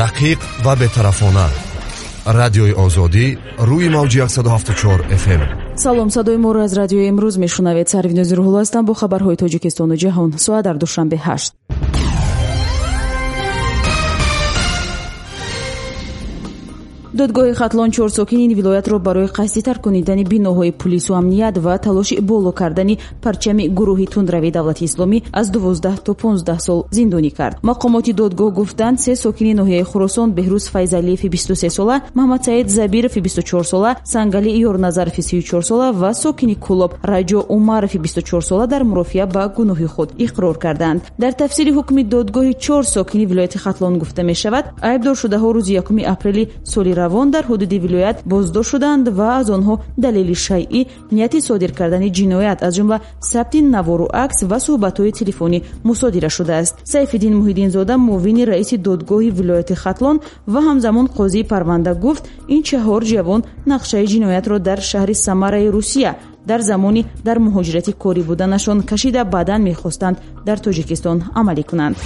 Дақиқ ва бетарафона. Радиои Озодӣ рӯи мавҷи 174 FM. Салом, садои моро аз радиои имрӯз мешунавед. Сарвинози Рӯҳулло ҳастам бо хабарҳои Тоҷикистону ҷаҳон. Соат дар Душанбе 8. Додгоҳи Хатлон 4 сокини ин вилоятро барои қасди тарконидани биноҳои пулису амният ва талоши боло кардани парчами гурӯҳи тундрави давлати исломӣ аз 12 то 15 сол зиндонӣ кард. Мақомоти додгоҳ гуфтанд, 3 сокини ноҳияи Хуросон Беҳрӯз Файзалиеви 23 сола, Маҳмадсаид Забирови 24 сола, Сангали Ёрназарови 34 сола ва сокини Кӯлоб Раҷо Умарови 24 сола дар мурофиа ба гуноҳи худ иқрор карданд. Дар тафсири ҳукми додгоҳи 4 сокини вилояти Хатлон гуфта мешавад, айбдоршудаҳо рӯзи 1 апрели соли равон дар ҳудуди вилоят боздошт шуданд ва аз онҳо далели шайъӣ нияти содир кардани ҷиноят, аз ҷумла сабти навору акс ва суҳбатҳои телефонӣ мусодира шудааст. Сайфиддин Муҳиддинзода, муовини раиси додгоҳи вилояти Хатлон ва ҳамзамон қозии парванда гуфт, ин 4 ҷавон нақшаи ҷиноятро дар шаҳри Самараи Русия дар замони дар муҳоҷирати корӣ буданашон кашида, баъдан мехостанд дар Тоҷикистон амалӣ кунанд.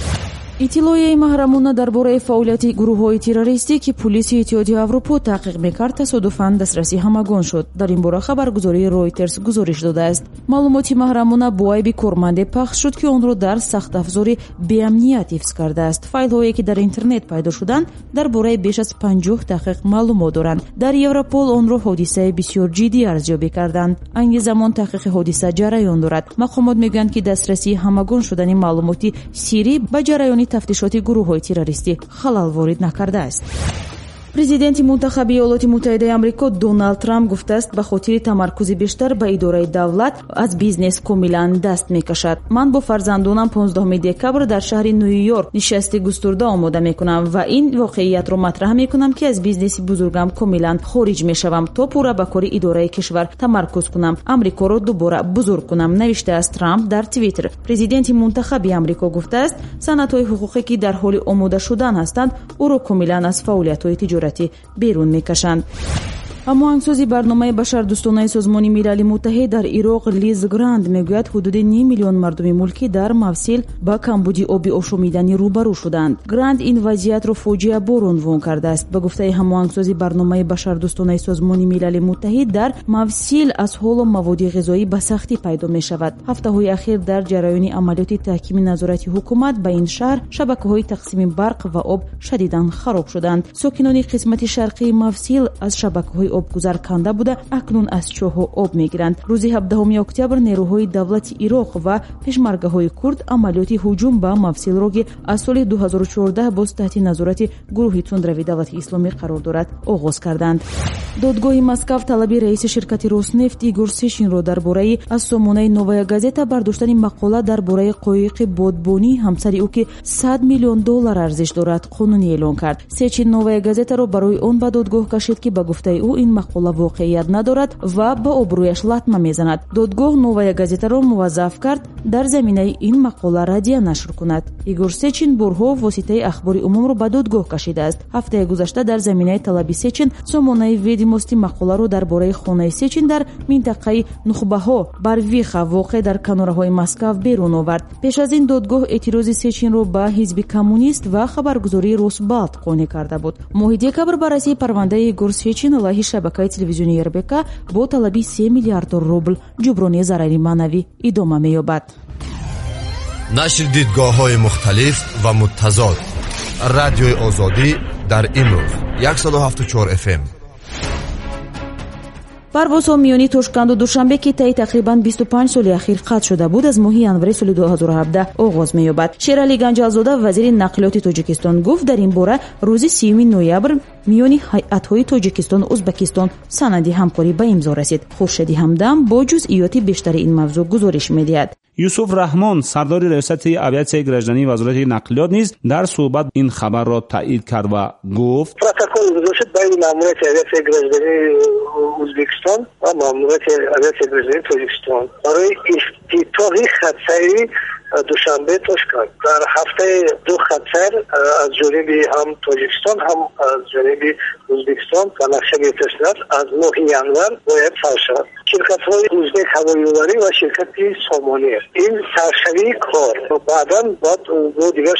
Иттилоияи маҳрамона дар бораи фаъолияти гурӯҳҳои террористӣ, ки пулиси Иттиҳоди Аврупо таҳқиқ мекард, тасодуфан дастрасии ҳамагон шуд. Дар ин бора хабаргузории Ройтерс гузориш додааст. Маълумоти маҳрамона бо айби корманде пахш шуд, ки онро дар сахтафзори беамният ҳифз кардааст. Файлҳое, ки дар интернет пайдо шуданд, дар бораи беш аз 50 таҳқиқ маълумот доранд. Дар Европол онро ҳодисаи бисёр ҷиддӣ арзёбӣ карданд. Айни замон таҳқиқи ҳодиса ҷараён дорад. Мақомот мегӯянд, ки дастрасии ҳамагон шудани маълумоти сирӣ ба ҷараёни тафтишоти гурӯҳҳои террористӣ халал ворид накардааст. Президенти мунтахаби Иёлоти Муттаҳидаи Амрико Доналд Трамп гуфтааст, ба хотири тамаркузи бештар ба идораи давлат аз бизнес комилан даст мекашад. Ман бо фарзандонам 15 декабр дар шаҳри Нью-Йорк нишасти густурда омода мекунам ва ин воқеиятро матраҳ мекунам, ки аз бизнеси бузургам комилан хориҷ мешавам, то пурра ба кори идораи кишвар тамаркуз кунам, Амрикоро дубора бузург кунам, навиштааст Трамп дар Твиттер. Президенти мунтахаби Амрико гуфтааст, санадҳои ҳуқуқе, ки дар ҳоли омода шудан ҳастанд, ӯро комилан аз фаъолиятҳои тиҷоратӣ берун мекашанд. Ҳамоҳангсози барномаи башардӯстонаи Созмони Милали Муттаҳид дар Ироқ Лиз Гранд мегӯяд, ҳудуди 5 миллион мардуми мулкӣ дар Мавсил ба камбуди оби ошомиданӣ рӯбарӯ шуданд. Гранд ин вазъиятро фоҷиабор унвон кардааст. Ба гуфтаи ҳамоҳангсози барномаи башардӯстонаи Созмони Милали Муттаҳид, дар Мавсил аз ҳоло маводи ғизоӣ ба сахтӣ пайдо мешавад. Ҳафтаҳои ахир дар ҷараёни амалиёти таҳкими назорати ҳукумат ба ин шаҳр шабакаҳои тақсими барқ ва об шадидан хароб шуданд. Сокинони қисмати шарқии Мавсил аз шабакаҳои обгузар канда буда, акнун аз чоҳҳо об мегиранд. Рӯзи 17 октябр нерӯҳои давлати Ироқ ва пешмаргаҳои курд амалиёти ҳуҷум ба Мавсилро, ки аз соли 2014 боз таҳти назорати гурӯҳи тундрави давлати исломӣ қарор дорад, оғоз карданд. Додгоҳи Москав талаби раиси ширкати Роснефт Игор Сечинро дар бораи аз сомонаи Новая газета бардоштани мақола дар бораи қоиқи бодбонии ҳамсари ӯ, ки 100 миллион доллар арзиш дорад, қонунӣ эълон кард. Сечин Новая газетаро барои он ба додгоҳ кашид, ки ба гуфтаи ӯ ин мақола воқеият надорад ва ба обрӯяш латма мезанад. Додгоҳ Новая газетаро муваззаф кард дар заминаи ин мақола радия нашр кунад. Игор Сечин борҳо воситаи ахбори умумро ба додгоҳ кашидааст. Ҳафтаи гузашта дар заминаи талаби Сечин сомонаи Ведимости мақоларо дар бораи хонаи Сечин дар минтақаи Нухбаҳо Барвиха воқеъ дар канораҳои Москав берун овард. Пеш аз ин додгоҳ эътирози Сечинро ба ҳизби коммунист ва хабаргузории Росбалт қонеъ карда буд. Моҳи декабр баррасии парвандаи Игор Сечин алайҳи шабакаи телевизионии РБК бо талаби 3 миллиард рубл ҷуброни зарари маънавӣ идома меёбад. Нашри дидгоҳҳои мухталиф ва муттазод. Радиои Озодӣ дар имрӯз 174 FM. Парвозҳо миёни Тошканду Душанбе, ки таи тақрибан 25 соли ахир қатъ шуда буд, аз моҳи январи соли 2017 оғоз меёбад. Шералӣ Ганҷалзода, вазири нақлиёти Тоҷикистон, гуфт, дар ин бора рӯзи 30 ноябр миёни ҳайатҳои Тоҷикистону Ӯзбекистон санади ҳамкорӣ ба имзо расид. Хуршеди Ҳамдам бо ҷузъиёти бештари ин мавзӯъ гузориш медиҳад. Юсуф Раҳмон, сардори раёсати авиатсияи граждании Вазорати нақлиёт низ дар суҳбат ин хабарро таъид кард ва гуфт: Протокол гузошт байни маъмурияти авиатсияи граждании Ӯзбекистон ва маъмурияти авиатсияи граждании Тоҷикистон барои ифтитоҳи хатсайри Душанбе Тошканд. Дар ҳафтаи ду хатсайр аз ҷониби ҳам Тоҷикистон, ҳам аз ҷониби Ӯзбекистон ба нақша гирифта шудааст, аз моҳи январ бояд сар шавад. Ширкатҳои Узбек ҳавоиёварӣ ва ширкати Сомонӣ. Ин саршавии кор. Баъдан бояд бо дигар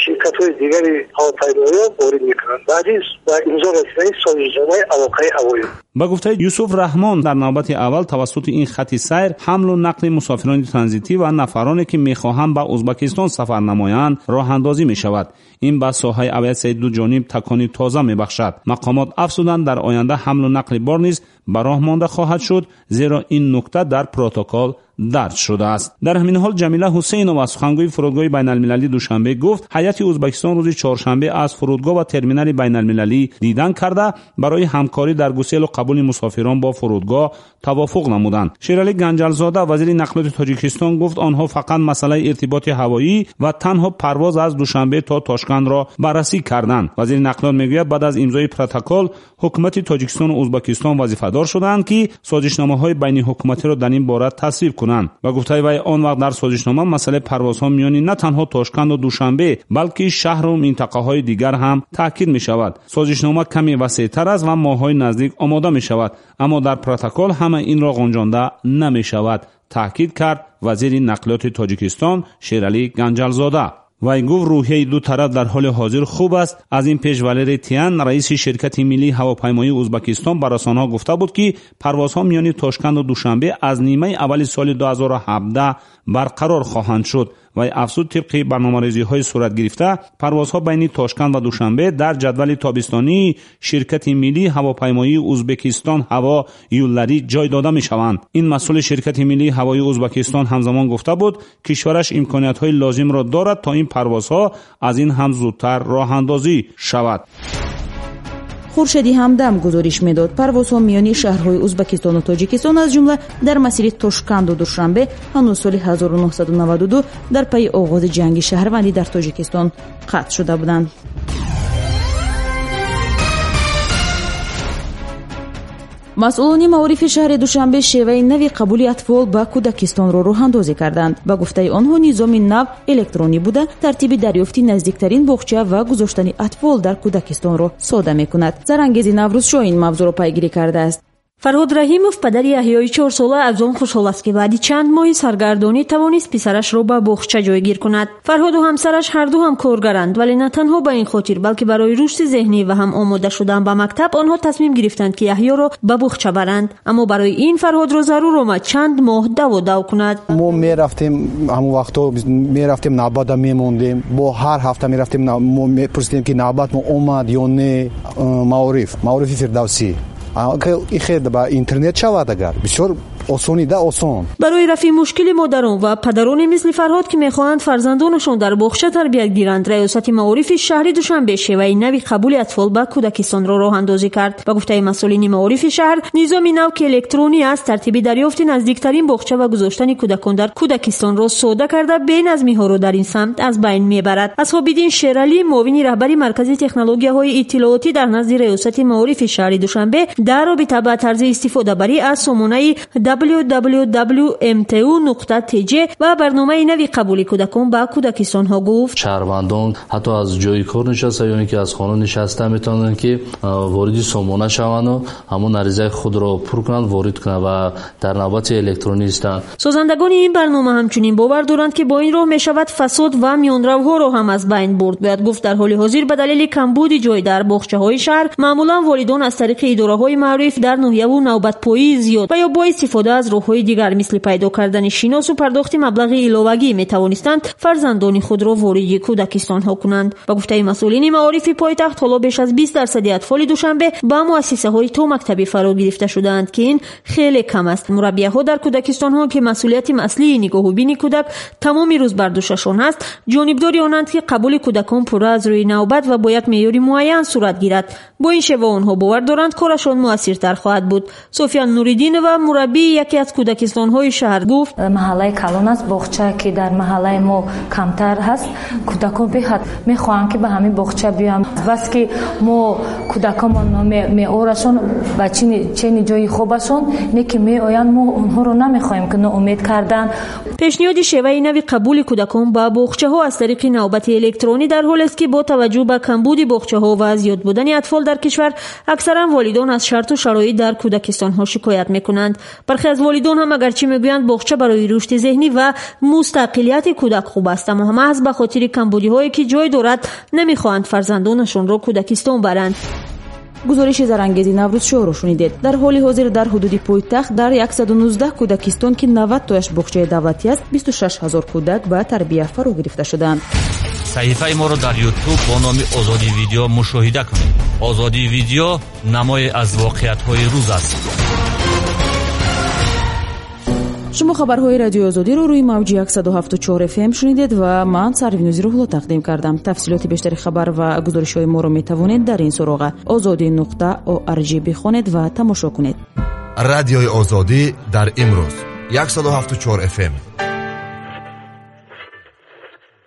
ширкатҳои дигари ҳавопаймоиро ворид мекунанд. Баъди ба имзо расидани созишномаи алоқаи ҳавоӣ. Ба гуфтаи Юсуф Раҳмон, дар навбати аввал тавассути ин хати сайр ҳамлу нақли мусофирони транзитӣ ва нафароне, ки мехоҳанд ба Узбекистон сафар намоянд, роҳандозӣ мешавад. Ин ба соҳаи авиатсияи дуҷониб такони тоза мебахшад. Мақомот афзуданд, дар оянда ҳамлу нақли бор низ ба роҳ монда хоҳад шуд, зеро ин нукта дар протокол дарҷ шудааст. Дар ҳамин ҳол Ҷамила Ҳусейнова, сухангӯи фурудгоҳи байналмилалии Душанбе, гуфт ҳайати Узбекистон рӯзи чоршанбе аз фурудгоҳ ва терминали байналмилалӣ дидан карда, барои ҳамкорӣ дар гуселу қабули мусофирон бо фурудгоҳ тавофуқ намуданд. Шералӣ Ганҷалзода, вазири нақлиёти Тоҷикистон, гуфт онҳо фақат масъалаи иртиботи ҳавоӣ ва танҳо парвоз аз Душанбе то Тошкандро баррасӣ карданд. Вазири нақлиёт мегӯяд, баъд аз имзои протокол ҳукумати Тоҷикистону Узбекистон вазифадор шуданд, ки созишномаҳои байниҳукуматиро дар ин бора тасвиб кунанд. Ба гуфтаи вай, он вақт дар созишнома масъалаи парвозҳо миёни на танҳо Тошканду Душанбе, балки шаҳру минтақаҳои дигар ҳам таъкид мешавад. Созишнома каме васеътар аст ва моҳҳои наздик омода мешавад, аммо дар протокол ҳама инро ғунҷонда намешавад, таъкид кард вазири нақлиёти Тоҷикистон Шералӣ Ганҷалзода. Вай гуфт, рӯҳияи ду тараф дар ҳоли ҳозир хуб аст. Аз ин пеш Валерий Тян, раиси ширкати миллии ҳавопаймоии Узбекистон, ба расонаҳо гуфта буд, ки парвозҳо миёни Тошканду Душанбе аз нимаи аввали соли 2017 барқарор хоҳанд шуд. Вай афзуд, тибқи барномарезиҳои сурат гирифта, парвозҳо байни Тошканд ва Душанбе дар ҷадвали тобистонии ширкати миллии ҳавопаймоии Узбекистон ҳаво юлларӣ ҷой дода мешаванд. Ин масъули ширкати миллии ҳавоии Узбекистон ҳамзамон гуфта буд, кишвараш имкониятҳои лозимро дорад, то ин парвозҳо аз ин ҳам зудтар роҳандозӣ шавад. Хуршеди Ҳамдам гузориш медод, парвозҳо миёни шаҳрҳои Узбекистону Тоҷикистон, аз ҷумла дар масири Тошканду Душанбе, ҳанӯз соли 1992 дар пайи оғози ҷанги шаҳрвандӣ дар Тоҷикистон қатъ шуда буданд. Масъулони маорифи шаҳри Душанбе шеваи нави қабули атфол ба кӯдакистонро роҳандозӣ карданд. Ба гуфтаи онҳо, низоми нав электронӣ буда, тартиби дарёфти наздиктарин боғча ва гузоштани атфол дар кӯдакистонро сода мекунад. Зарангези Наврӯзшоҳ ин мавзӯъро пайгирӣ кардааст. Фарҳод Раҳимов, падари Яҳёи 4сола, аз он хушҳол аст, ки баъди чанд моҳи саргардонӣ тавонист писарашро ба боғча ҷойгир кунад. Фарҳоду ҳамсараш ҳарду ҳам коргаранд, вале на танҳо ба ин хотир, балки барои рушди зеҳнӣ ва ҳам омода шудан ба мактаб онҳо тасмим гирифтанд, ки Яҳёро ба боғча баранд. Аммо барои ин Фарҳодро зарур омад чанд моҳ даву дав кунад. Мо мерафтем, ҳамон вақтҳо мерафтем, навбата мемондем, бо ҳар ҳафта мерафтем, мо мепурсидем, ки навбат мо омад ё не. Маорифи Фирдавсӣ ихе ба интернет шавад, агар бисёр осонида осон. Барои рафъи мушкили модарон ва падароне мисли Фарҳод, ки мехоҳанд фарзандонашон дар боғча тарбият гиранд, раёсати маорифи шаҳри Душанбе шеваи нави қабули атфол ба кӯдакистонро роҳандозӣ кард. Ба гуфтаи масъулини маорифи шаҳр, низоми нав, ки электронӣ аст, тартиби дарёфти наздиктарин боғча ва гузоштани кӯдакон дар кӯдакистонро сода карда, беназмиҳоро дар ин самт аз байн мебарад. Асҳобиддин Шералӣ, муовини раҳбари маркази технологияҳои иттилоотӣ дар назди раёсати маорифи шаҳри Душанбе, дар робита ба тарзи истифодабарӣ аз сомонаи www.mtu.tj ва барномаи нави қабули кӯдакон ба кӯдакистонҳо гуфт: шаҳрвандон ҳатто аз ҷои кор нишаста ё ин ки аз хона нишаста метавонанд, ки вориди сомона шаванду ҳамон аризаи худро пур кунанд, ворид кунанд ва дар навбати электронӣ истанд. Созандагони ин барнома ҳамчунин бовар доранд, ки бо ин роҳ мешавад фасод ва миёнравҳоро ҳам аз байн бурд. Бояд гуфт, дар ҳоли ҳозир ба далели камбуди ҷой дар боғчаҳои шаҳр, маъмулан волидон аз тариқи идораҳои маориф дар ноҳияву навбатпоии зиёд ва ё бо истифода аз роҳҳои дигар, мисли пайдо кардани шиносу пардохти маблағи иловагӣ, метавонистанд фарзандони худро вориди кӯдакистонҳо кунанд. Ба гуфтаи масъулини маорифи пойтахт, ҳоло беш аз 20% атфоли Душанбе ба муассисаҳои томактабӣ фаро гирифта шудаанд, ки ин хеле кам аст. Мураббияҳо дар кӯдакистонҳо, ки масъулияти аслии нигоҳубини кӯдак тамоми рӯз бар дӯшашон аст, ҷонибдори онанд, ки қабули кӯдакон пурра аз рӯи навбат ва бо як меъёри муайян сурат гирад. Бо ин шева онҳо бовар доранд, корашон муассиртар хоҳад буд. София Нуриддинова, мураббии Яке аз кӯдакистонҳои шаҳр гуфт: Маҳаллаи калон аст, боғча ки дар маҳаллаи мо камтар ҳаст, кӯдакон беҳад мехоҳанд, ки ба ҳамин боғча биёянд. Бас ки мо кӯдаконмон меорашон ба чени ҷои хобашон, не ки меоянд, мо онҳоро намехоҳем ки ноумед кардан. Пешниҳоди шеваи нави қабули кӯдакон ба боғчаҳо аз тариқи навбати электронӣ дар ҳолест, ки бо таваҷҷӯҳ ба камбуди боғчаҳо ва зиёд будани атфол дар кишвар, аксаран волидон аз шарту шароит дар кӯдакистонҳо шикоят мекунанд. Бархе аз волидон ҳам агарчи мегӯянд, боғча барои рушди зеҳнӣ ва мустақилияти кӯдак хуб аст, аммо маҳз ба хотири камбудиҳое ки ҷой дорад, намехоҳанд фарзандонашонро кӯдакистон баранд. Гузориши зарангези Наврӯзшоҳро шунидед. Дар ҳоли ҳозир дар ҳудуди пойтахт дар 119 кӯдакистон, ки 90 тояш боғчаи давлатӣ аст, 26 ҳазор кӯдак ба тарбия фаро гирифта шудаанд. Саҳифаи моро дар Ютуб бо номи Озодӣ Видео мушоҳида кунед. Озодӣ Видео намое аз воқеиятҳои рӯз аст. Шумо хабарҳои Радиои Озодиро рӯи мавҷи 107,4 FM шунидед ва ман Сарвинози Рӯҳло тақдим кардам. Тафсилоти бештари хабар ва гузоришҳои моро метавонед дар ин суроға озодӣ.org бихонед ва тамошо кунед. Радиои Озодӣ дар имрӯз 107,4 FM.